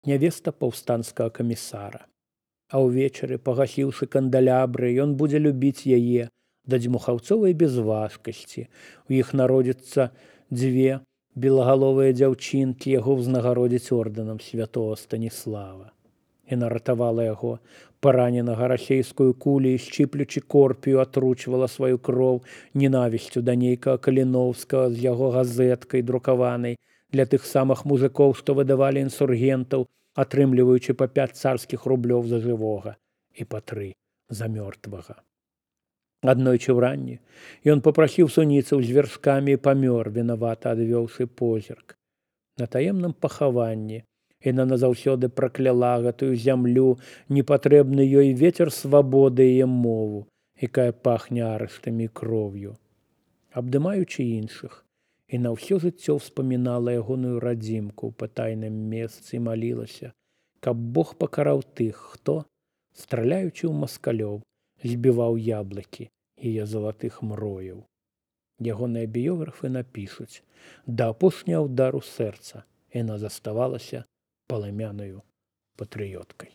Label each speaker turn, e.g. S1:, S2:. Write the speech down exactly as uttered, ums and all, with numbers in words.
S1: нявеста паўстанцкага камісара. А ўвечары, пагасіўшы кандалябры, ён будзе любіць яе да дзьмухаўцовай бязважкасці. У іх народзіцца дзве белагаловыя дзяўчынкі, яго ўзнагародзіць ордэнам святого Станіслава. Яна ратавала яго, параненага расейскую кулю, і шчыплючы корпію атручвала сваю кроў ненавісцю да нейкага Каліноўскага з яго газеткай друкаванай для тых самых музыкоў, што выдавалі інсургентаў, атрымліваючы па пяць царскіх рублёў за жывога і па тры за мёртвага. Аднойчы ўранні ён попрасіў суніцаў з вяршкамі і памёр, вінавата адвёўшы позірк. На таемным пахаванні яна назаўсёды пракляла гэтую зямлю, непатрэбны ёй вецер свабоды і мову, якая пахне арыштамі кроўю. Абдымаючы іншых, і на ўсё жыццё ўспамінала ягоную радзімку ў патайным месцы і малілася, каб Бог пакараў тых, хто, страляючы ў маскалёў, збіваў яблыкі яе залатых мрояў. Ягоныя біёграфы напішуць: да апошняга ўдару сэрца яна заставалася палымянаю патрыёткай.